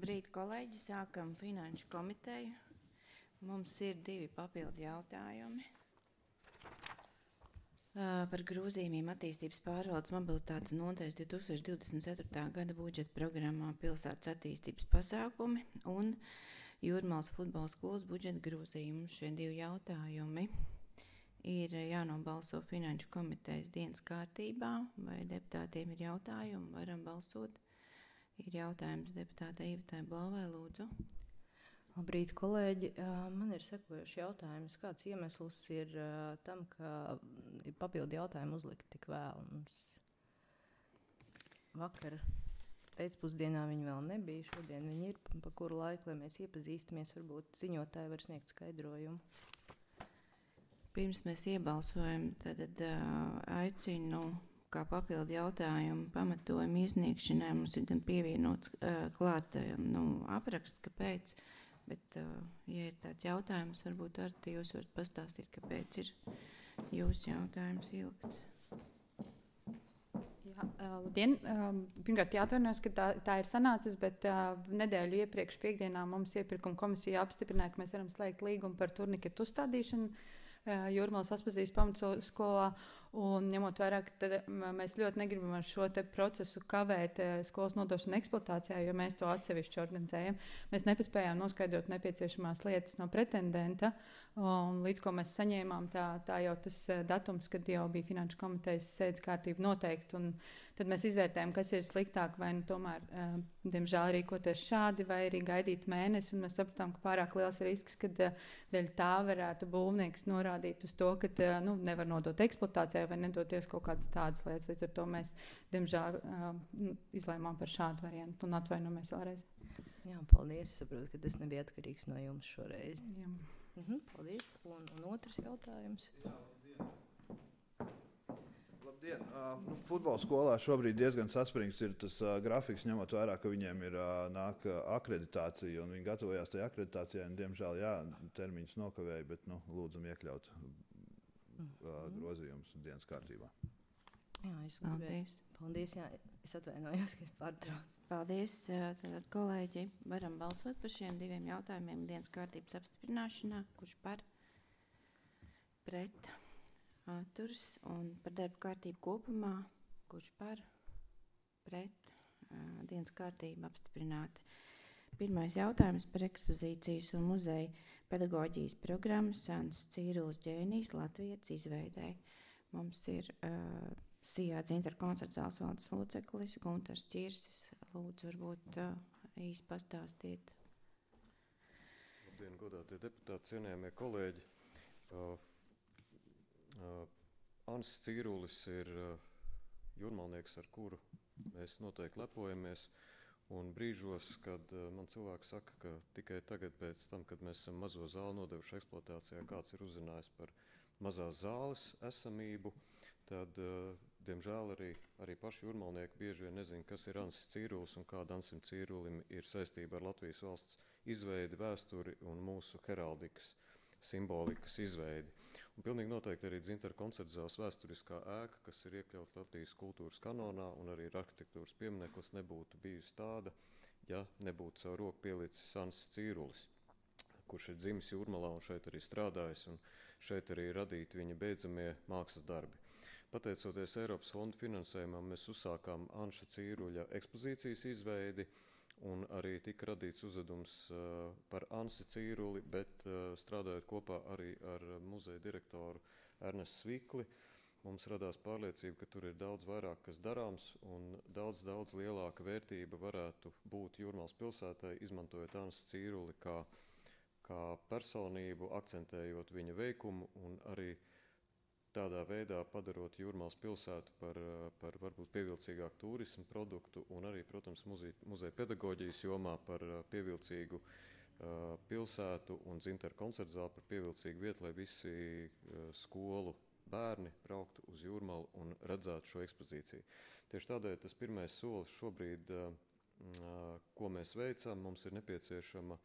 Labrīt, kolēģi! Sākam finanšu komiteju. Mums ir 2 papildu jautājumi par grozījumiem attīstības pārvaldes mobilitātes nodaļas 2024. gada budžeta programmā pilsētas attīstības pasākumi un Jūrmālas futbola skolas budžeta grozījumu. Šie 2 jautājumi ir jānobalso finanšu komitejas dienas kārtībā. Vai deputātiem ir jautājumi? Varam balsot. Ir jautājums deputātei Ivetai Blauvai, lūdzu. Labrīt, kolēģi. Man ir sekojošs jautājums. Kāds iemesls ir tam, ka ir papildu jautājumi uzlikt tik vēl? Mums vakar pēcpusdienā viņi vēl nebija. Šodien viņi ir, pa kuru laiku, lai mēs iepazīstamies, varbūt ziņotāji var sniegt skaidrojumu. Pirms mēs iebalsojam, tad aicinu, kā papildu jautājumu pamatojumu iesniegšanai. Mums ir gan pievienots klāt apraksts, kāpēc. Bet, ja ir tāds jautājums, varbūt arī jūs varat pastāstīt, kāpēc ir jūsu jautājums ilgts. Jā, labdien! Pirmkārt jāatvainojas, ka tā ir sanācis, bet nedēļu iepriekš piekdienā mums iepirkuma komisija apstiprināja, ka mēs varam slēgt līgumu par turniketu uzstādīšanu Jūrmālas Aspazijas pamatskolā. Un ņemot vērā, ka mēs ļoti negribam ar šo te procesu kavēt skolas nodošanu eksploatācijā, jo mēs to atsevišķi organizējam. Mēs nepaspējām noskaidrot nepieciešamās lietas no pretendenta, un līdz ko mēs saņēmām, tā jau tas datums, kad jau bija finanšu komitejas sēdes kārtība noteikti, un tad mēs izvērtējam, kas ir sliktāk, vai tomēr, diemžēl, rīkoties šādi, vai arī gaidīt mēnesi, un mēs sapratām, ka pārāk liels risks, kad dēļ tā varētu būvnieks norādīt uz to, ka nevar nodot eksploatācijā, vai nedoties kaut kādas tādas lietas. Līdz ar to mēs, diemžēl, izlēmām par šādu variantu un atvainojamies vēlreiz. Jā, paldies. Es saprotu, ka tas nebija atkarīgs no jums šoreiz. Jā. Paldies. Un otrs jautājums. Labdien! Futbola skolā šobrīd diezgan saspringts ir tas grafiks, ņemot vērā, ka viņiem ir nāk akreditācija, un viņi gatavojās tajā akreditācijai, un diemžēl, termiņus nokavēja, bet, lūdzam iekļaut grozījumus dienas kārtībā. Jā, es gribēju. Paldies, jā, es atvainojos, ka es pārtraucu. Paldies, tātad kolēģi, varam balsot par šiem 2 jautājumiem dienas kārtības apstiprināšanā, kurš par, pret, atturs, un par darba kārtību kopumā, kurš par, pret, dienas kārtību apstiprināti. Pirmais jautājums par ekspozīcijas un muzeja pedagoģijas programmas Sants Cīrulis ģēnijs Latvijas izveidē. Mums ir Sijāds interkoncerts zāles valdes loceklis Guntars Ķirsis. Lūdzu, varbūt īsti pastāstiet. Labdien, godātie deputāti, cienījamie kolēģi. Ansis Cīrulis ir jūrmalnieks, ar kuru mēs noteikti lepojamies. Un brīžos, kad man cilvēki saka, ka tikai tagad pēc tam, kad mēs esam mazo zāli nodevuši eksploatācijā, kāds ir uzzinājis par mazās zāles esamību, tad, diemžēl, arī paši jūrmalnieki bieži vien nezina, kas ir Ansis Cīrulis un kāda Ansim Cīrulim ir saistība ar Latvijas valsts izveidi, vēsturi un mūsu heraldikas simbolikas izveidi. Un pilnīgi noteikti arī Dzintara koncertzāles vēsturiskā ēka, kas ir iekļauta Latvijas kultūras kanonā un arī arhitektūras piemineklis, nebūtu bijusi tāda, ja nebūtu savu roku pielicis Ansis Cīrulis, kurš ir dzimis Jūrmalā un šeit arī strādājis, un šeit arī radīti viņa beidzamie mākslas darbi. Pateicoties Eiropas fondu finansējumam, mēs uzsākām Anša Cīruļa ekspozīcijas izveidi, un arī tika radīts uzvedums par Ansi Cīruli, bet strādājot kopā arī ar muzeja direktoru Ernestu Svikli, mums radās pārliecība, ka tur ir daudz vairāk, kas darāms, un daudz lielāka vērtība varētu būt Jūrmālas pilsētai, izmantojot Ansi Cīruli kā personību, akcentējot viņa veikumu un arī tādā veidā padarot Jūrmālas pilsētu par varbūt pievilcīgāku turismu produktu un arī, protams, muzeja pedagoģijas jomā par pievilcīgu pilsētu un Dzintara koncertzāli par pievilcīgu vietu, lai visi skolu bērni brauktu uz Jūrmalu un redzētu šo ekspozīciju. Tieši tādēļ tas pirmais solis šobrīd, ko mēs veicam, mums ir nepieciešama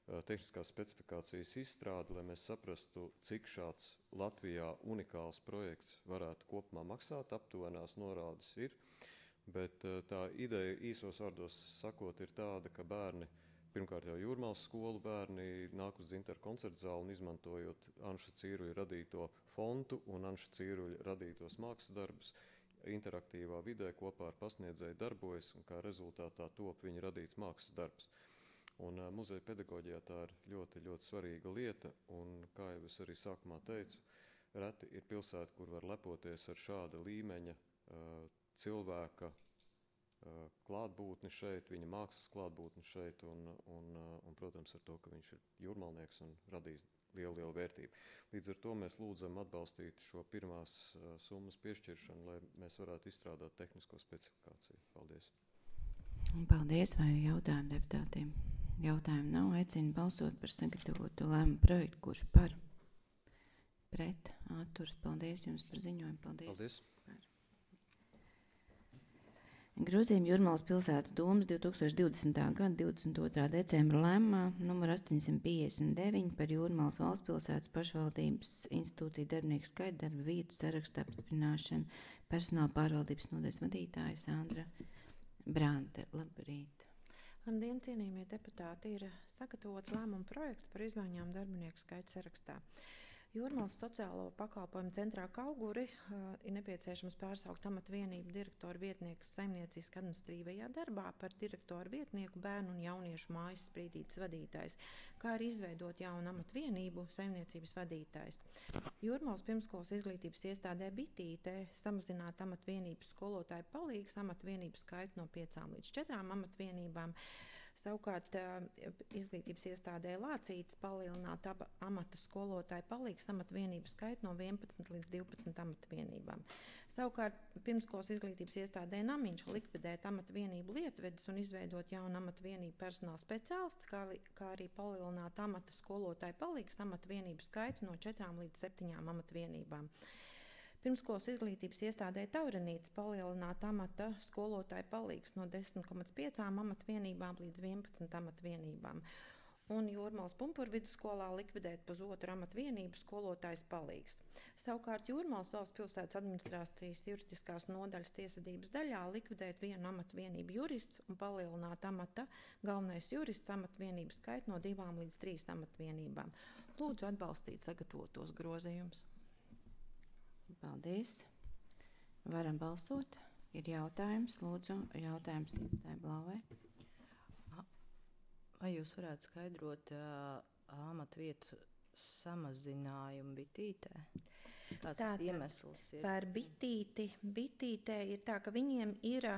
tehniskās specifikācijas izstrāde, lai mēs saprastu, cik šāds Latvijā unikāls projekts varētu kopumā maksāt, aptuvenās norādes ir, bet tā ideja īsos vārdos sakot ir tāda, ka bērni pirmkārt jau Jūrmālas skolu bērni nāk uz Dzintaru koncertu zāli un izmantojot Anša Cīruļa radīto fontu un Anša Cīruļa radītos mākslas darbus, interaktīvā vidē kopā ar pasniedzēju darbojas un kā rezultātā top viņa radīts mākslas darbs. Un muzeja pedagoģijā tā ir ļoti, ļoti svarīga lieta, un kā jau es arī sākumā teicu, reti ir pilsēta, kur var lepoties ar šāda līmeņa cilvēka klātbūtni šeit, viņa mākslas klātbūtni šeit, un protams, ar to, ka viņš ir jūrmalnieks un radījis lielu vērtību. Līdz ar to mēs lūdzam atbalstīt šo pirmās summas piešķiršanu, lai mēs varētu izstrādāt tehnisko specifikāciju. Paldies. Paldies, vai jautājumu deputātiem? Jautājumu nav, aicinu balsot par sagatavotu lēmumu projektu, kurš par, pret, atturs. Paldies jums par ziņojumu. Paldies. Grozījumi Jūrmalas pilsētas domas 2020. gada 22. decembra lēmumā numur 859 par Jūrmalas valsts pilsētas pašvaldības institūciju darbinieku skaitu darba vietu sarakstu apstiprināšanu. Personāla pārvaldības nodaļas vadītāja Sandra Brante. Labrīt. Labdien, cienījamie deputāti, ir sagatavots lēmuma projekts par izmaiņām darbinieku skaitu sarakstā. Jūrmalas sociālo pakalpojumu centrā Kauguri ir nepieciešams pārsaukt amatvienību direktoru vietniekas saimnieciski administratīvajā darbā par direktoru vietnieku bērnu un jauniešu mājas sprīdītes vadītājs, kā arī izveidot jaunu amatvienību saimniecības vadītājs. Jūrmalas pirmskolas izglītības iestādē Bitītē samazināt amatvienības skolotāju palīgs amatvienību skaitu no 5 līdz 4 amatvienībām. Savukārt izglītības iestādē Lācītes palielināt amata skolotāju palīgs amatvienību skaitu no 11 līdz 12 amatvienībām. Savukārt pirmskolas izglītības iestādē Namiņš likvidēt amatvienību Lietvedis un izveidot jaunu amatvienību personāla speciālists, kā arī palielināt amata skolotāju palīgs amatvienību skaitu no 4 līdz 7 amatvienībām. Pirmskolas izglītības iestādē Taurenītes palielināt amata skolotāju palīgs no 10,5 amatvienībām līdz 11 amatvienībām. Un Jūrmalas Pumpurvidusskolā likvidēt pusotru amatvienību skolotājs palīgs. Savukārt Jūrmalas valsts pilsētas administrācijas juridiskās nodaļas tiesvedības daļā likvidēt vienu amatvienību jurists un palielināt amata galvenais jurists amatvienību skaitu no 2 līdz 3 amatvienībām. Lūdzu atbalstīt sagatavotos grozījumus. Paldies. Varam balsot. Ir jautājums, lūdzu, jautājums Intai Blāvai. Vai jūs varētu skaidrot amatvietu samazinājumu Bitītē? Kāds tas iemesls ir? Par Bitītē ir tā, ka viņiem ir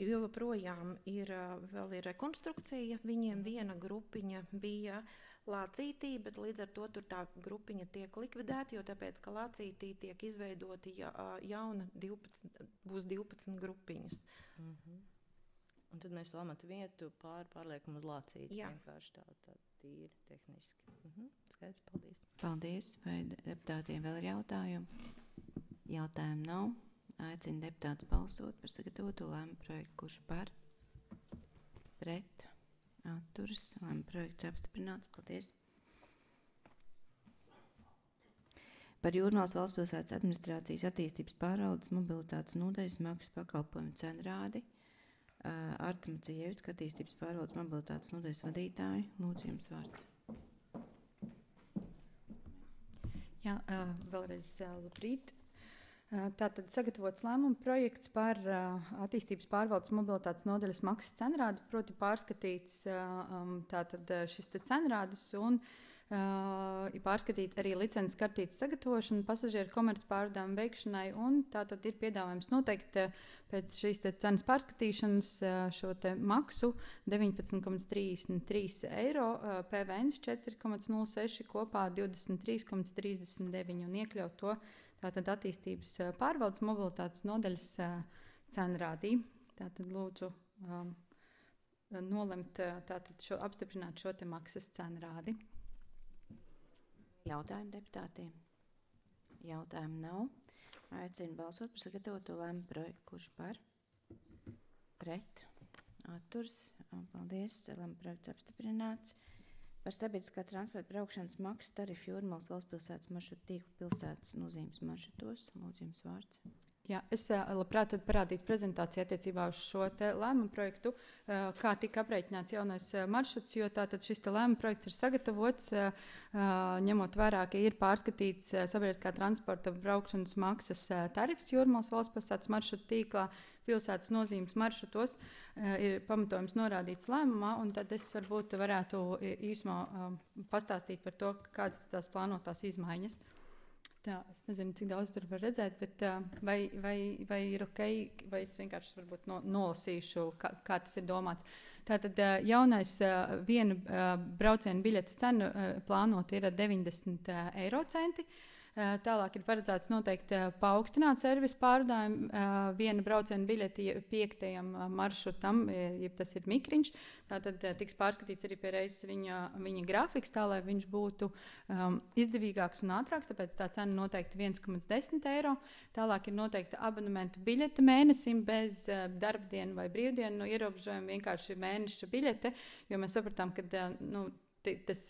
joprojām vēl ir rekonstrukcija. Viņiem viena grupiņa bija Lācītī, bet līdz ar to tur tā grupiņa tiek likvidēta, jo tāpēc, ka Lācītī tiek izveidoti jauna 12, būs 12 grupiņas. Un tad mēs to amatu vietu pārliekam uz Lācīti. Jā. Vienkārši tā tīri tehniski. Skaidrs, paldies. Paldies. Vai deputātiem vēl ir jautājumi? Jautājumu nav. Aicinu deputātus balsot par sagatavotu lēmumu projektu, kurš par, pret, atturas. Lēmumu projekts apstiprināts. Paldies. Par Jūrmalas valsts pilsētas administrācijas attīstības pārvaldes mobilitātes nodaļas maksas pakalpojumu cenrādi. Arta Maciejevska, attīstības pārvaldes mobilitātes nodaļas vadītāja. Lūdzu, jums vārds. Jā, vēlreiz labrīt. Tātad sagatavots lēmuma projekts par attīstības pārvaldes mobilitātes nodaļas maksas cenrādi, proti pārskatīts tātad šis te cenrādis un ir pārskatīt arī licences kartītes sagatavošanu pasažieru komercpārvadājumu veikšanai, un tātad ir piedāvājums noteikt pēc šīs te cenas pārskatīšanas šo te maksu 19,33 eiro, PVN 4,06 kopā 23,39 un iekļaut to tātad attīstības pārvaldes mobilitātes nodaļas cenrādī. Tātad lūdzu nolemt tātad apstiprināt šo te maksas cenrādi. Jautājumu deputātiem? Jautājumu nav. Aicinu balsot par sagatavotu lēmumu projektu, kurš par, pret, atturs. Paldies. Lēmumu projekts apstiprināts. Par sabiedriskā transporta braukšanas maksas tarifu Jūrmalas valsts pilsētas maršrutu tīklu pilsētas nozīmes maršrutos. Lūdzu, jums vārds. Jā, es labprāt parādītu prezentāciju attiecībā uz šo lēmumu projektu, kā tika aprēķināts jaunais maršruts, jo tātad šis lēmuma projekts ir sagatavots, ņemot vērā, ka ir pārskatīts sabiedriskā transporta braukšanas maksas tarifs Jūrmalas valsts pilsētas maršrutu tīklā, pilsētas nozīmes maršrutos, ir pamatojums norādīts lēmumā, un tad es varbūt varētu īsumā pastāstīt par to, kādas tās plānotās izmaiņas. Tā, es nezinu, cik daudz tur var redzēt, bet vai ir ok, vai es vienkārši varbūt nolasīšu, kā tas ir domāts. Tātad jaunais viena brauciena biļetes cena plānot ir 90 eiro centi. Tālāk ir paredzēts noteikti paaugstināt servisu pārvadājumu viena brauciena biļeti 5. maršrutam, ja tas ir mikriņš. Tātad tiks pārskatīts arī pie reizes viņa grafiks, tā lai viņš būtu izdevīgāks un ātrāks, tāpēc tā cena noteikti 1,10 eiro. Tālāk ir noteikti abonementu biļete mēnesim bez darbdienu vai brīvdienu ierobežojumu, vienkārši mēneša biļete, jo mēs sapratām, ka tas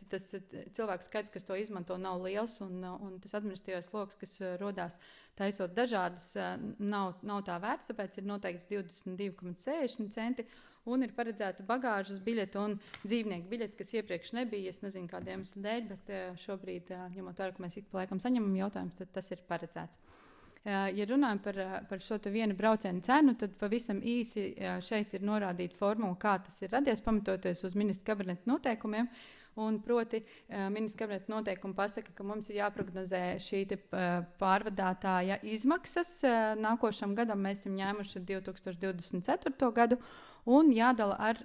cilvēku skaits, kas to izmanto, nav liels, un tas administratīvais sloks, kas rodās taisot dažādas, nav tā vērts, tāpēc ir noteikts 22,60 centi, un ir paredzēta bagāžas biļete un dzīvnieku biļete, kas iepriekš nebija, es nezinu kādiem iemeslu dēļ, bet šobrīd, ņemot vērā, ka mēs ik pa laikam saņemam jautājumus, tad tas ir paredzēts. Ja runājam par šo vienu braucienu cenu, tad pavisam īsi šeit ir norādīta formula, kā tas ir radies, pamatoties uz ministra kabineta noteikumiem. Un proti, ministra kabineta noteikumi pasaka, ka mums ir jāprognozē šī pārvadātāja izmaksas. Nākošam gadam mēs esam ņēmuši 2024. gadu un jādala ar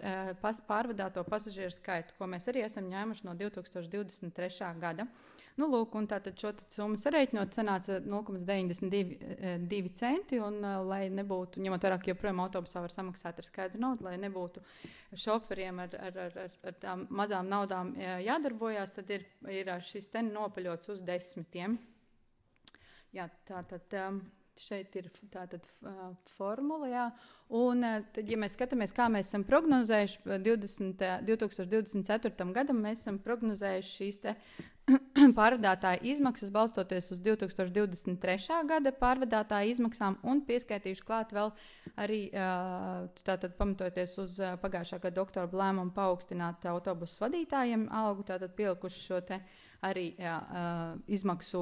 pārvadāto pasažieru skaitu, ko mēs arī esam ņēmuši no 2023. gada. Lūk, un tātad šo summu sarēķinot, sanāca 0,92 centi, un lai nebūtu, ņemot vērā, ka joprojām autobusā var samaksāt ar skaidru naudu, lai nebūtu šoferiem ar tām mazām naudām jādarbojās, tad ir šis te nopaļots uz 10. Jā, tātad šeit ir tātad formula, jā. Un tad, ja mēs skatāmies, kā mēs esam prognozējuši 2024. gadam, mēs esam prognozējuši šīs te pārvadātāja izmaksas balstoties uz 2023. gada pārvadātāja izmaksām un pieskaitījuši klāt vēl arī tātad pamatojoties uz pagājušā gada oktobra lēmumu paaugstināt autobusu vadītājiem algu, tātad pielikuši šo te arī izmaksu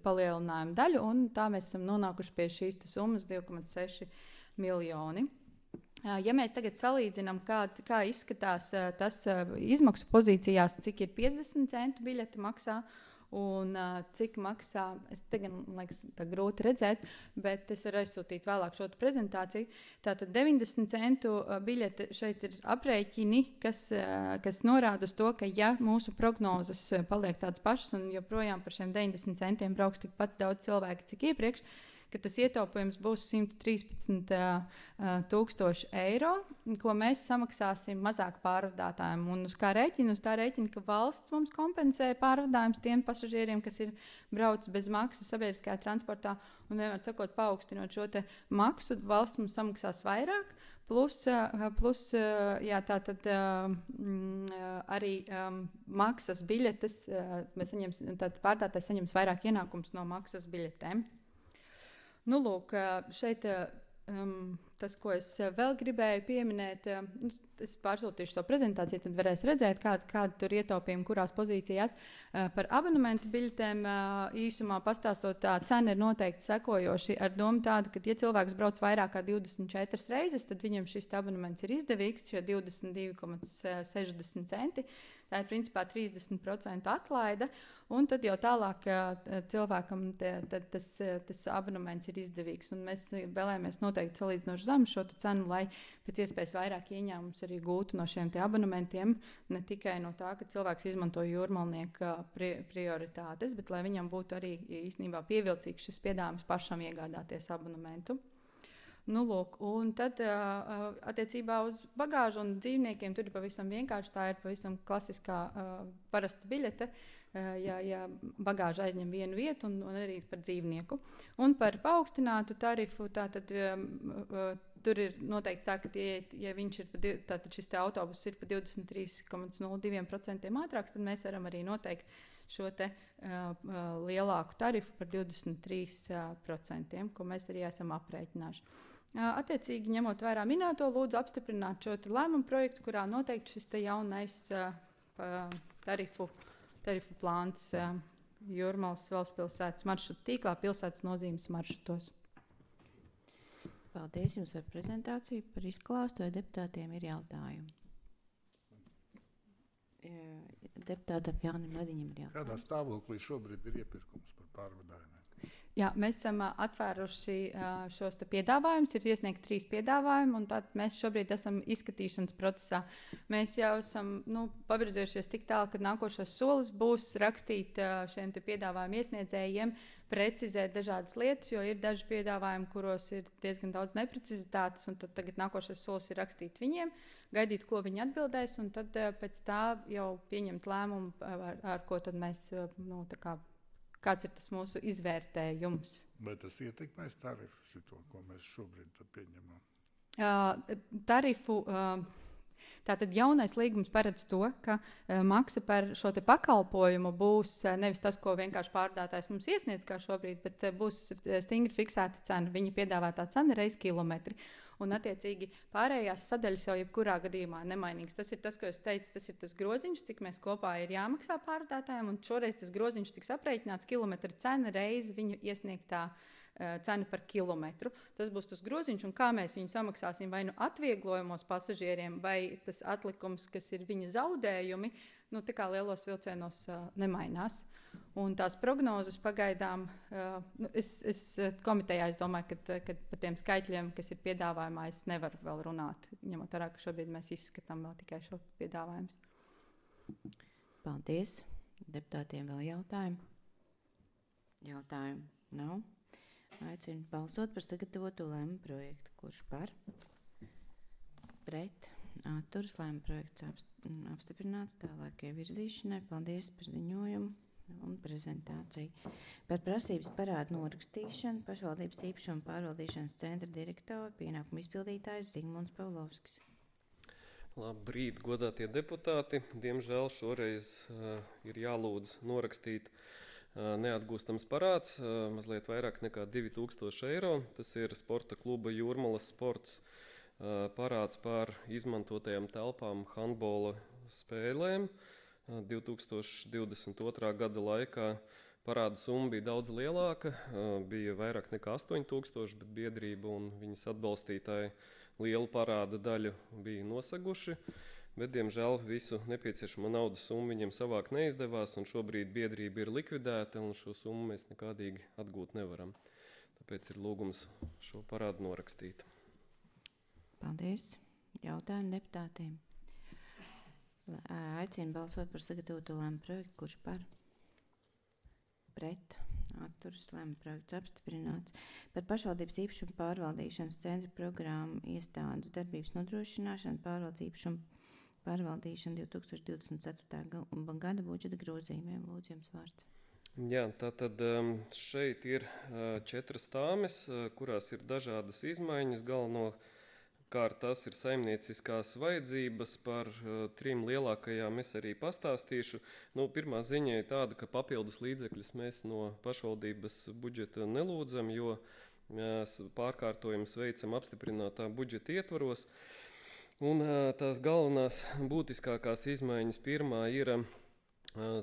palielinājumu daļu, un tā mēs esam nonākuši pie šīs summas 2,6 miljoni. Ja mēs tagad salīdzinām, kā izskatās tas izmaksu pozīcijās, cik ir 50 centu biļete maksā un cik maksā, es tagad, liekas, tā grūti redzēt, bet es varu aizsūtīt vēlāk šo prezentāciju. Tātad 90 centu biļete šeit ir aprēķini, kas norāda uz to, ka ja mūsu prognozes paliek tādas pašas un joprojām par šiem 90 centiem brauks tikpat daudz cilvēki, cik iepriekš, ka tas ietaupījums būs 113 000 eiro, ko mēs samaksāsim mazāk pārvadātājiem. Un uz kā rēķina? Uz tā rēķina, ka valsts mums kompensē pārvadājumus tiem pasažieriem, kas ir brauc bez maksas sabiedriskajā transportā, un vienmēr sakot, paaugstinot šo te maksu, valsts mums samaksās vairāk, plus jā, tātad arī maksas biļetes, mēs saņemsim, tātad pārvadātājs saņems vairāk ienākums no maksas biļetēm. Lūk, šeit tas, ko es vēl gribēju pieminēt, es pārsūtīšu to prezentāciju, tad varēs redzēt, kāda tur ietaupījumi, kurās pozīcijās. Par abonementu biļetēm īsumā pastāstot, tā cena ir noteikti sekojoši ar domu tādu, ka, ja cilvēks brauc vairāk kā 24 reizes, tad viņam šis abonements ir izdevīgs, šie 22,60 centi. Tā ir principā 30% atlaide, un tad jau tālāk cilvēkam tas abonements ir izdevīgs. Un mēs vēlējāmies noteikti salīdzinoši zemu šo cenu, lai pēc iespējas vairāk ieņēmumus arī gūtu no šiem abonementiem, ne tikai no tā, ka cilvēks izmanto jūrmalnieka prioritātes, bet lai viņam būtu arī īstenībā pievilcīgs šis piedāvājums pašam iegādāties abonementu. Lūk, un tad attiecībā uz bagāžu un dzīvniekiem tur ir pavisam vienkārši, tā ir pavisam klasiskā parasta biļete, ja bagāža aizņem vienu vietu un arī par dzīvnieku. Un par paaugstinātu tarifu, tātad tur ir noteikts tā, ka ja viņš ir, tātad šis te autobus ir pa 23,02% ātrāks, tad mēs varam arī noteikt šo te, lielāku tarifu par 23%, ko mēs arī esam aprēķinājuši. Attiecīgi, ņemot vērā minēto, lūdzu apstiprināt šo lēmumu projektu, kurā noteikti šis jaunais tarifu plāns Jūrmalas Valstspilsētas maršrutu tīklā pilsētas nozīmes maršrutos. Paldies jums par prezentāciju, par izklāstu, vai deputātiem ir jautājumi. Deputātam Jānim Lediņam ir jautājums. Kādā stāvoklī šobrīd ir iepirkums par pārvadājumiem? Jā, mēs esam atvēruši šos piedāvājumus, ir iesniegti 3 piedāvājumi, un tad mēs šobrīd esam izskatīšanas procesā. Mēs jau esam pavirzījušies tik tālu, ka nākošais solis būs rakstīt šiem piedāvājumu iesniedzējiem, precizēt dažādas lietas, jo ir daži piedāvājumi, kuros ir diezgan daudz neprecizitātes, un tad tagad nākošais solis ir rakstīt viņiem, gaidīt, ko viņi atbildēs, un tad pēc tā jau pieņemt lēmumu, ar ko tad mēs, kāds ir tas mūsu izvērtējums. Vai tas ietekmēs tarifu šito, ko mēs šobrīd pieņemam? Tarifu. Tātad jaunais līgums paredz to, ka maksa par šo pakalpojumu būs nevis tas, ko vienkārši pārdātājs mums iesniedz kā šobrīd, bet būs stingri fiksēta cena. Viņa piedāvātā cena reiz kilometri. Un, attiecīgi, pārējās sadaļas jau jebkurā gadījumā nemainīgas. Tas ir tas, ko es teicu, tas ir tas groziņš, cik mēs kopā ir jāmaksā pārdātājiem, un šoreiz tas groziņš tiks aprēķināts kilometra cena reiz viņu iesniegtā cena par kilometru. Tas būs tas groziņš, un kā mēs viņu samaksāsim vai nu atvieglojumos pasažieriem, vai tas atlikums, kas ir viņa zaudējumi, tā kā lielos vilcienos nemainās. Un tās prognozes pagaidām, es komitejā es domāju, ka par tiem skaitļiem, kas ir piedāvājumā, es nevaru vēl runāt, ņemot vērā, ka šobrīd mēs izskatām vēl tikai šo piedāvājumus. Paldies. Deputātiem vēl jautājumi? Jautājumu nav. Aicinu balsot par sagatavotu lēmumu projektu. Kurš par? Pret? Atturas. Lēmuma projekts apstiprināts tālākai virzīšanai. Paldies par ziņojumu un prezentāciju. Par prasības parādu norakstīšanu pašvaldības īpašuma pārvaldīšanas centra direktora pienākumu izpildītājs Zigmunds Pavlovskis. Labrīt, godātie deputāti. Diemžēl šoreiz ir jālūdz norakstīt neatgūstams parāds, mazliet vairāk nekā 2000 eiro. Tas ir sporta kluba Jūrmalas sports parāds par izmantotajām telpām handbola spēlēm. 2022. gada laikā parāda summa bija daudz lielāka, bija vairāk nekā 8000, bet biedrība un viņas atbalstītāji lielu parāda daļu bija nosaguši. Bet, diemžēl, visu nepieciešamo naudas summu viņiem savākt neizdevās, un šobrīd biedrība ir likvidēta, un šo summu mēs nekādīgi atgūt nevaram. Tāpēc ir lūgums šo parādu norakstīt. Paldies. Jautājumu deputātiem. Aicinu balsot par sagatavotu lēmumu projektu. Kurš par? Pret? Atturas. Lēmuma projekts apstiprināts. Par pašvaldības īpašuma pārvaldīšanas centra programmu iestādes darbības nodrošināšanu pārvaldes īpašumu pārvaldīšana 2024. gada budžeta grozījumiem. Lūdzu, jums vārds. Jā, tātad šeit ir 4 tāmes, kurās ir dažādas izmaiņas. Galvenokārt tās ir saimnieciskās vajadzības. Par 3 lielākajām es arī pastāstīšu. Pirmā ziņa ir tāda, ka papildus līdzekļus mēs no pašvaldības budžeta nelūdzam, jo pārkārtojums veicam apstiprinātā budžeta ietvaros. Un tās galvenās būtiskākās izmaiņas pirmā ir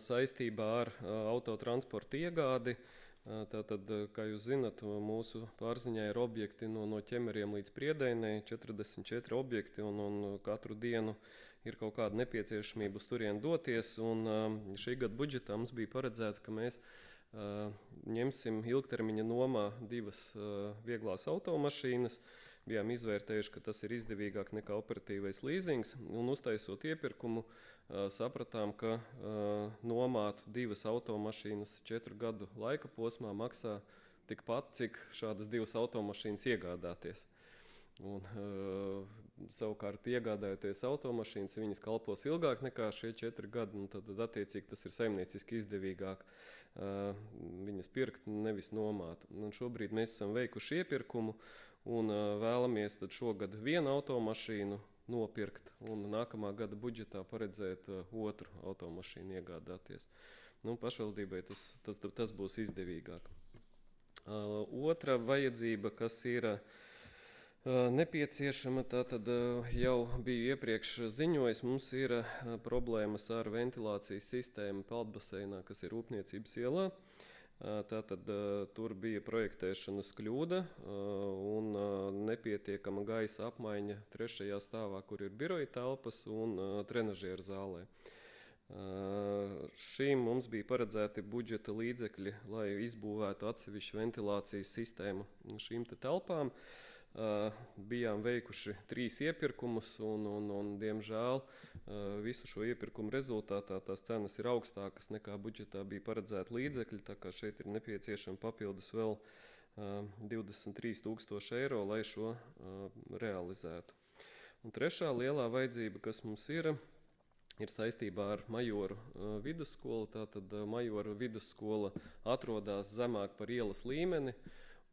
saistībā ar autotransporta iegādi. Tātad, kā jūs zinat, mūsu pārziņā ir objekti no Ķemeriem līdz Priedēnei, 44 objekti, un katru dienu ir kaut kāda nepieciešamība uz turien doties. Un šī gada budžetā mums bija paredzēts, ka mēs ņemsim ilgtermiņa nomā 2 vieglās automašīnas. Bijām izvērtējuši, ka tas ir izdevīgāk nekā operatīvais līzings, un uztaisot iepirkumu sapratām, ka nomāt 2 automašīnas 4 gadu laika posmā maksā tikpat, cik šādas 2 automašīnas iegādāties. Un, savukārt iegādājoties automašīnas, viņas kalpos ilgāk nekā šie 4 gadi, un tad attiecīgi tas ir saimnieciski izdevīgāk viņas pirkt, nevis nomāt. Un šobrīd mēs esam veikuši iepirkumu, un vēlamies tad šogad 1 automašīnu nopirkt un nākamā gada budžetā paredzēt 2 automašīnu iegādāties. pašvaldībai tas būs izdevīgāk. Otra vajadzība, kas ir nepieciešama, tātad jau biju iepriekš ziņojis, mums ir problēmas ar ventilācijas sistēmu peldbaseinā, kas ir Rūpniecības ielā. Tātad tur bija projektēšanas kļūda un nepietiekama gaisa apmaiņa 3. stāvā, kur ir biroja telpas un trenažieru zālē. Šīm mums bija paredzēti budžeta līdzekļi, lai izbūvētu atsevišķu ventilācijas sistēmu šīm telpām. Bijām veikuši 3 iepirkumus un diemžēl visu šo iepirkumu rezultātā tās cenas ir augstākas nekā budžetā bija paredzēti līdzekļi, tā kā šeit ir nepieciešama papildus vēl 23,000 eiro, lai šo realizētu. Un trešā lielā vajadzība, kas mums ir saistībā ar Majoru vidusskolu. Tātad Majoru vidusskola atrodas zemāk par ielas līmeni,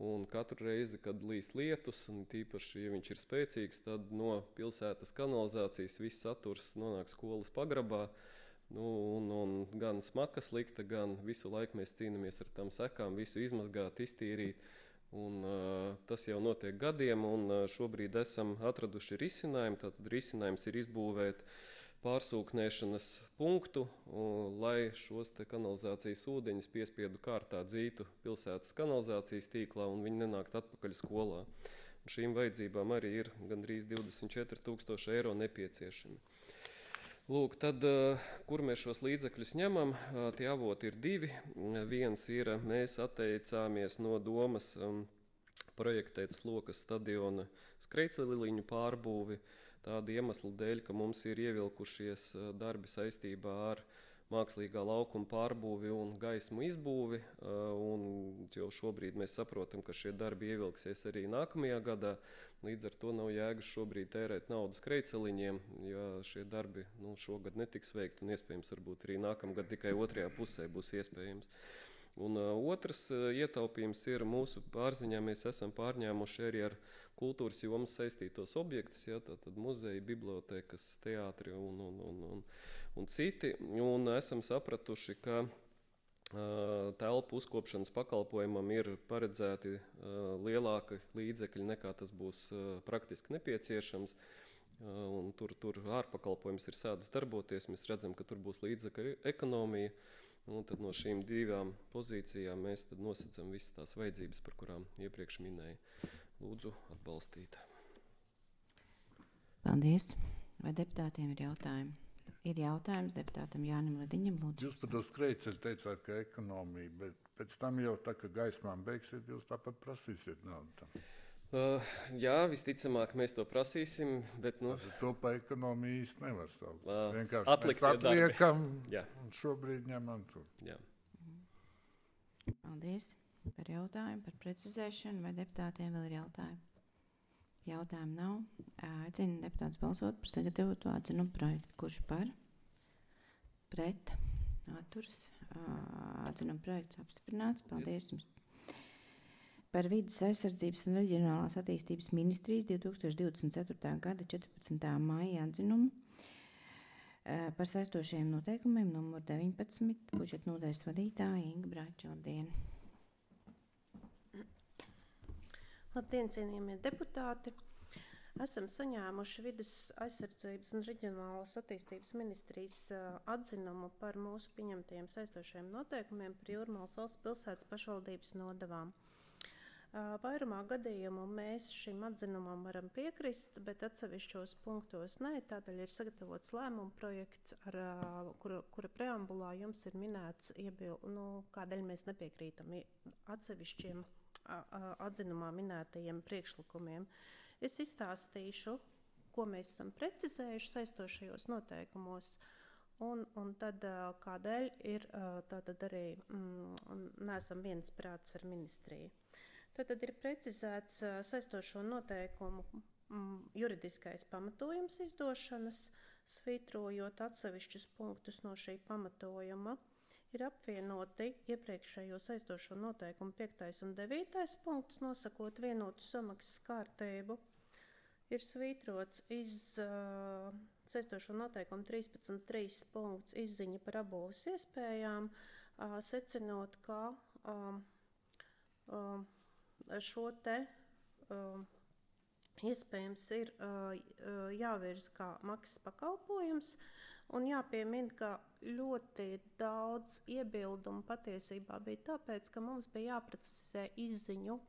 un katru reizi, kad līst lietus, un tīpaši, ja viņš ir spēcīgs, tad no pilsētas kanalizācijas viss saturs nonāk skolas pagrabā, un gan smaka slikta, gan visu laiku mēs cīnāmies ar tām sekām, visu izmazgāt, iztīrīt, un tas jau notiek gadiem, un šobrīd esam atraduši risinājumu. Tātad risinājums ir izbūvēt pārsūknēšanas punktu, lai šos kanalizācijas ūdeņus piespiedu kārtā dzītu pilsētas kanalizācijas tīklā un viņi nenākt atpakaļ skolā. Un šīm vajadzībām arī ir gandrīz 24,000 eiro nepieciešami. Lūk, tad, kur mēs šos līdzekļus ņemam, tie avoti ir 2. Viens ir, mēs atteicāmies no domas projektēt Slokas stadiona skrejceļliņu pārbūvi, tāda iemesla dēļ, ka mums ir ievilkušies darbi saistībā ar mākslīgā laukuma pārbūvi un gaismu izbūvi, un jau šobrīd mēs saprotam, ka šie darbi ievilksies arī nākamajā gadā, līdz ar to nav jēgas šobrīd tērēt naudu skrejceliņiem, ja šie darbi šogad netiks veikti, un iespējams varbūt arī nākamgad tikai otrajā pusē būs iespējams. Un otrs ietaupījums ir mūsu pārziņā, mēs esam pārņēmuši arī ar kultūras jomas saistītos objektus, tātad muzeji, bibliotēkas, teātri un citi, un esam sapratuši, ka telpu uzkopšanas pakalpojumam ir paredzēti lielāki līdzekļi nekā tas būs praktiski nepieciešams, un tur ārpakalpojums ir sācis darboties, mēs redzam, ka tur būs līdzekļu ekonomija, un tad no šīm 2 pozīcijām mēs tad nosacam visas tās vajadzības, par kurām iepriekš minēju. Lūdzu, atbalstīt. Paldies. Vai deputātiem ir jautājumi? Ir jautājums deputātam Jānim Lediņam, lūdzu. Jūs par to skrejceļu teicāt, ka ekonomija, bet pēc tam jau tā, ka gaismām beigsiet, jūs tāpat prasīsiet naudu tam. Jā, visticamāk mēs to prasīsim, bet To pa ekonomiju īsti nevar saukt. Vienkārši mēs atliekam un šobrīd ņemam to. Jā. Paldies par jautājumu, par precizēšanu, vai deputātiem vēl ir jautājumi? Jautājumu nav. Aicinu deputātus balsot par sagatavotu atzinumu projektu. Kurš par? Pret? Atturs? Atzinumu projekts apstiprināts. Paldies jums. Par Vides aizsardzības un reģionālās attīstības ministrijas 2024. gada 14. maija atzinumu par saistošiem noteikumiem numur 19 budžeta nodaļas vadītāja Inga Brāča. Labdien! Labdien, cienījamie deputāti! Esam saņēmuši Vides aizsardzības un reģionālās attīstības ministrijas atzinumu par mūsu pieņemtajiem saistošiem noteikumiem par Jūrmalas valsts pilsētas pašvaldības nodevām. Vairumā gadījumu mēs šim atzinumam varam piekrist, bet atsevišķos punktos nē. Tādēļ ir sagatavots lēmuma projekts, kura preambulā jums ir minēts, kādēļ mēs nepiekrītam atsevišķiem atzinumā minētajiem priekšlikumiem. Es izstāstīšu, ko mēs esam precizējuši saistošajos noteikumos, un tad kādēļ ir tātad arī neesam viensprāts ar ministriju. Tad ir precizēts saistošo noteikumu juridiskais pamatojums izdošanas, svītrojot atsevišķus punktus no šī pamatojuma. Ir apvienoti iepriekšējo saistošo noteikumu 5. un 9. punkts, nosakot vienotu samaksas kārtību. Ir svītrots saistošo noteikumu 13.3 punkts izziņa par apbūves iespējām. secinot, ka šo te iespējams ir jāvirz kā maksas pakalpojums. Un jāpiemina, ka ļoti daudz iebildumu patiesībā bija tāpēc, ka mums bija jāprecizē izziņu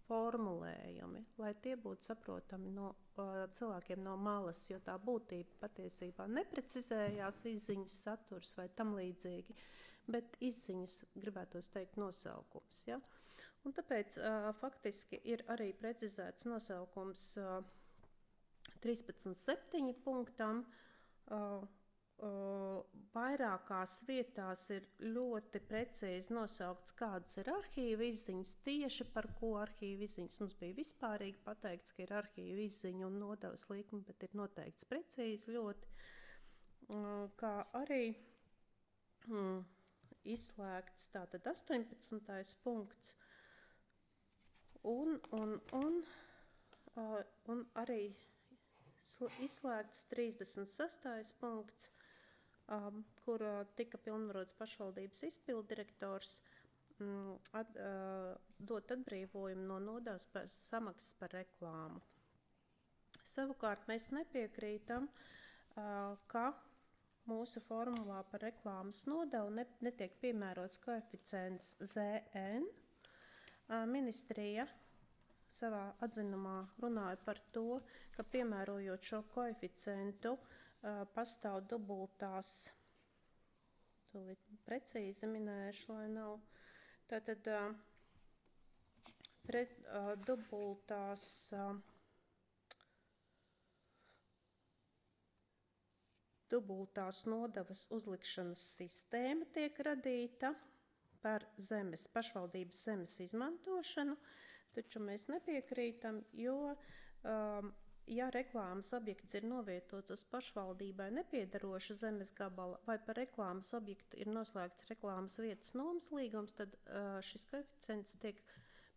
formulējumi, lai tie būtu saprotami no cilvēkiem no malas, jo tā būtība patiesībā neprecizējās izziņas saturs vai tam līdzīgi, bet izziņas, gribētos teikt, nosaukums. Ja? Un tāpēc faktiski ir arī precizēts nosaukums 13.7 punktam. Vairākās vietās ir ļoti precīzi nosaukts, kādas ir arhīva izziņas, tieši par ko arhīva izziņas. Mums bija vispārīgi pateikts, ka ir arhīva izziņa un nodevas likumi, bet ir noteikts precīzi ļoti, kā arī izslēgts tātad 18. punkts un arī izslēgts 36. punkts, kur tika pilnvarots pašvaldības izpilddirektors dot atbrīvojumu no nodevas par samaksas par reklāmu. Savukārt mēs nepiekrītam, ka mūsu formulā par reklāmas nodevu netiek piemērots koeficients ZN. Ministrija savā atzinumā runāja par to, ka piemērojot šo koeficientu pastāv dubultās, tūlīt precīzi minēšu, lai nav, tātad dubultās nodevas uzlikšanas sistēma tiek radīta par pašvaldības zemes izmantošanu, taču mēs nepiekrītam, jo ja reklāmas objekts ir novietots uz pašvaldībai nepiedaroša zemes gabala vai par reklāmas objektu ir noslēgts reklāmas vietas nomas līgums, tad šis koeficients tiek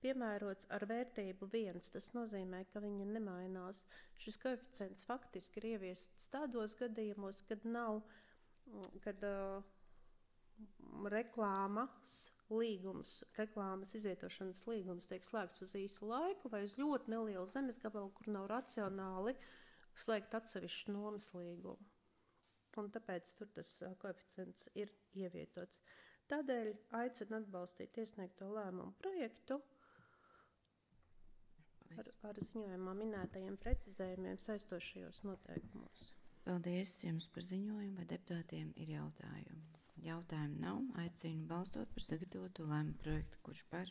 piemērots ar vērtību 1. Tas nozīmē, ka viņa nemainās. Šis koeficients faktiski ir ieviests tādos gadījumos, kad reklāmas izvietošanas līgums tiek slēgts uz īsu laiku vai uz ļoti nelielu zemes gabalu, kur nav racionāli slēgt atsevišķu nomas līgumu. Un tāpēc tur tas koeficients ir ievietots. Tādēļ aicinu atbalstīt iesniegto lēmumu projektu ar ziņojumā minētajiem precizējumiem saistošajos noteikumos. Paldies jums par ziņojumu, vai deputātiem ir jautājumi. Jautājumu nav. Aicinu balstot par sagatavotu lēmumu projektu, kurš par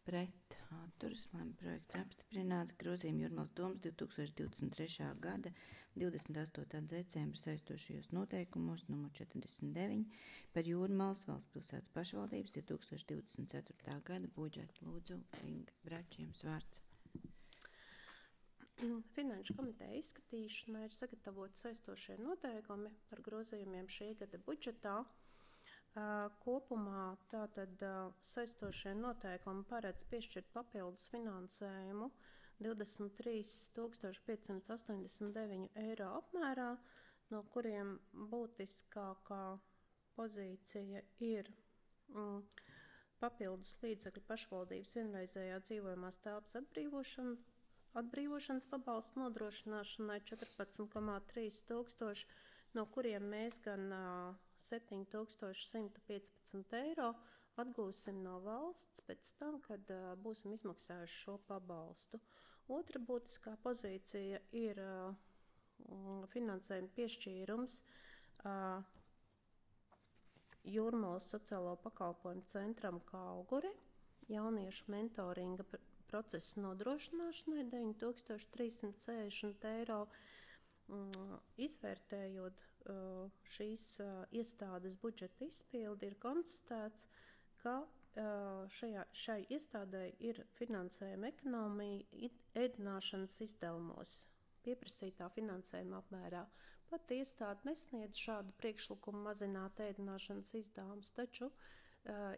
pret atturas. Lēmumu projekts apstiprināts. Grozījumi Jūrmālas domas 2023. gada 28. decembra saistošajos noteikumos nr. 49 par Jūrmālas valsts pilsētas pašvaldības 2024. gada budžetu. Lūdzu, Inga Brač, jums vārds. Finanšu komiteja izskatīšanai ir sagatavoti saistošie noteikumi par grozījumiem šī gada budžetā. Kopumā tātad saistošie noteikumi paredz piešķirt papildus finansējumu 23 589 eiro apmērā, no kuriem būtiskākā pozīcija ir papildus līdzekļu pašvaldības vienreizējā dzīvojamās telpas atbrīvošanas pabalstu nodrošināšanai 14,3 tūkstoši, no kuriem mēs gan 7115 eiro atgūsim no valsts pēc tam, kad būsim izmaksājuši šo pabalstu. Otra būtiskā pozīcija ir finansējuma piešķīrums Jūrmālas sociālo pakalpojumu centram Kauguri, jauniešu mentoringa procesa nodrošināšanai 9360 eiro. Izvērtējot šīs iestādes budžeta izpildi, ir konstatēts, ka šai iestādei ir finansējuma ekonomija ēdināšanas izdevumos pieprasītā finansējuma apmērā. Pat iestāde nesniedz šādu priekšlikumu mazināt ēdināšanas izdevumus, taču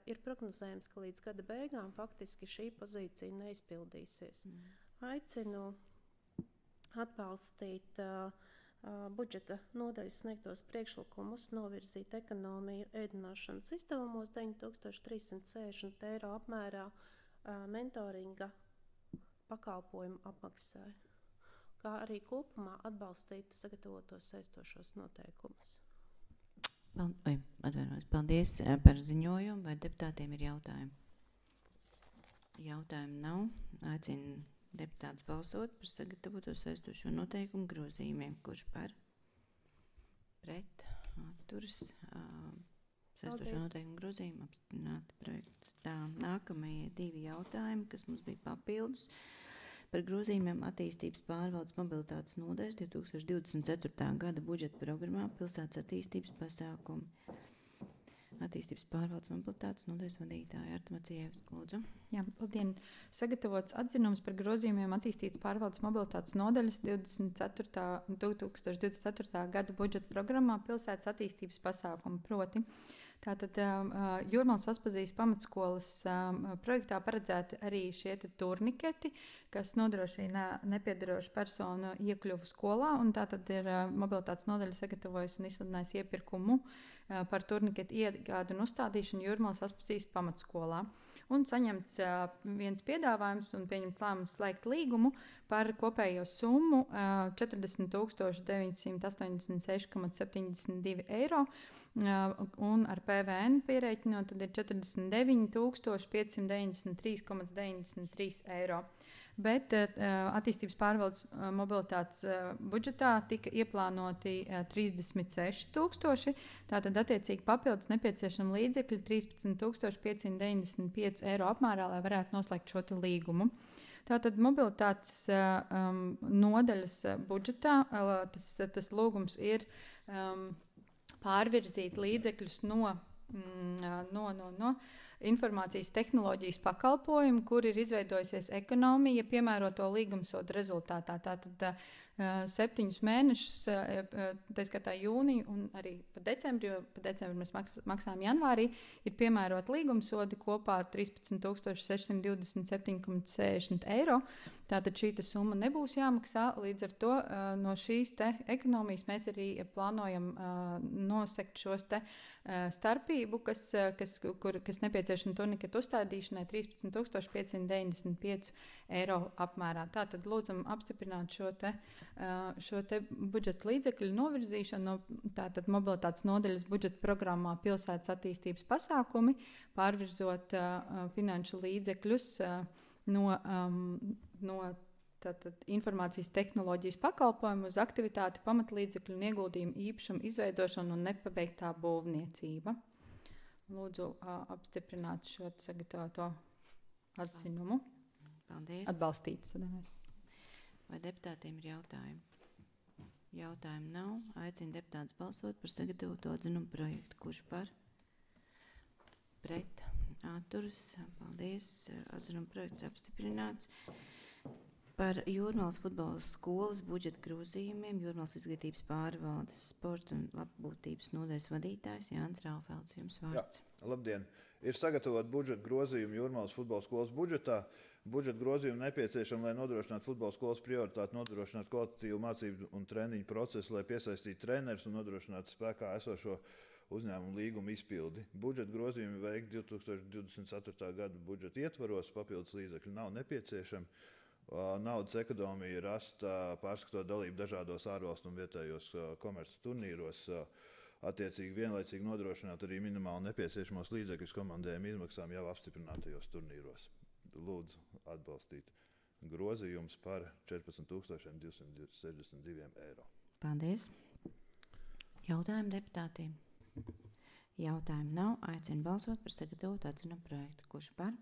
ir prognozējams, ka līdz gada beigām faktiski šī pozīcija neizpildīsies. Aicinu atbalstīt budžeta nodaļas sniegtos priekšlikumus novirzīt ekonomiju ēdināšanas izdevumos 9360 eiro apmērā mentoringa pakalpojumu apmaksai, kā arī kopumā atbalstīt sagatavotos saistošos noteikumus. Paldies par ziņojumu. Vai deputātiem ir jautājumi? Jautājumu nav. Aicinu deputātus balsot par sagatavoto saistošo noteikumu grozījumiem. Kurš par? Pret? Atturas? Saistošo noteikumu grozījumu apstiprināt projekts. Tā, nākamie 2 jautājumi, kas mums bija papildus. Par grozījumiem attīstības pārvaldes mobilitātes nodaļas 2024. gada budžeta programmā pilsētas attīstības pasākumi. Attīstības pārvaldes mobilitātes nodaļas vadītāja Arta Macievska, lūdzu. Jā, labdien. Sagatavots atzinums par grozījumiem attīstības pārvaldes mobilitātes nodaļas 2024. gada budžeta programmā pilsētas attīstības pasākumi, proti. Tātad Jūrmalas Aspazijas pamatskolas projektā paredzēti arī šie turniketi, kas nodrošina nepiedarošu personu iekļuvu skolā, un tātad ir mobilitātes nodaļa sagatavojusi un izsludinājusi iepirkumu par turniketu iegādu un uzstādīšanu Jūrmalas Aspazijas pamatskolā. Un saņemts viens piedāvājums un pieņemts lēmums slēgt līgumu par kopējo summu 40 986,72 eiro, un ar PVN pierēķinot, tad ir 49 593,93 eiro. Bet attīstības pārvaldes mobilitātes budžetā tika ieplānoti 36 000, tātad attiecīgi papildus nepieciešama līdzekļi 13 595 eiro apmērā, lai varētu noslēgt šo līgumu. Tātad mobilitātes nodaļas budžetā tas lūgums ir pārvirzīt līdzekļus no informācijas tehnoloģijas pakalpojumu, kur ir izveidojusies ekonomija piemēroto līgumsodu rezultātā. Tātad 7 mēnešus, tā skatā jūniju un arī pa decembri, jo pa decembri mēs maksājam janvārī, ir piemērot līgumsodi kopā 13 627,60 eiro. Tātad šī summa nebūs jāmaksā, līdz ar to no šīs ekonomijas mēs arī plānojam nosekt šos starpību, kas nepieciešama turniketu uzstādīšanai 13 595 eiro apmērā. Tātad lūdzam apstiprināt šo budžeta līdzekļu novirzīšanu no tātad mobilitātes nodaļas budžeta programmā pilsētas attīstības pasākumi, pārvirzot finanšu līdzekļus no tātad informācijas tehnoloģijas pakalpojumu uz aktivitāti, pamatlīdzekļu un ieguldījumu īpašumu izveidošanu un nepabeigtā būvniecība. Lūdzu apstiprināt šo sagatavoto atzinumu. Paldies. Atbalstīt. Vai deputātiem ir jautājumi? Jautājumu nav. Aicinu deputātus balsot par sagatavoto atzinumu projektu. Kurš par? Pret? Atturas. Paldies. Atzinumu projekts apstiprināts. Par Jūrmalas futbola skolas budžeta grozījumiem Jūrmalas izglītības pārvaldes sporta un labbūtības nodaļas vadītājs Jānis Raufelds. Jums vārds. Jā, labdien! Ir sagatavot budžeta grozījumu Jūrmalas futbola skolas budžetā. Budžeta grozījumi nepieciešami, lai nodrošinātu futbola skolas prioritāti, nodrošinātu kvalitatīvu mācību un treniņu procesu, lai piesaistītu trenerus un nodrošinātu spēkā esošo uzņēmumu līgumu izpildi. Budžeta grozījumi veikti 2024. gada budžeta ietvaros, papildus līdzekļi nav nepieciešami. Naudas ekonomija rasta pārskatot dalību dažādos ārvalstu un vietējos komerces turnīros, attiecīgi vienlaicīgi nodrošināt arī minimāli nepieciešamos līdzekļus komandējuma izmaksām jau apstiprinātajos turnīros. Lūdzu atbalstīt grozījums par 14 262 eiro. Paldies. Jautājumu deputātiem? Jautājumu nav. Aicinu balsot par sagatavotu atzinumu projektu. Kurš par?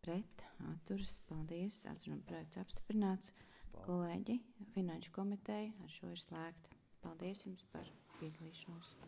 Pret? Atturas. Paldies. Atzinumu projekts apstiprināts. Kolēģi, Finanšu komiteja ar šo ir slēgta. Paldies jums par piedalīšanos.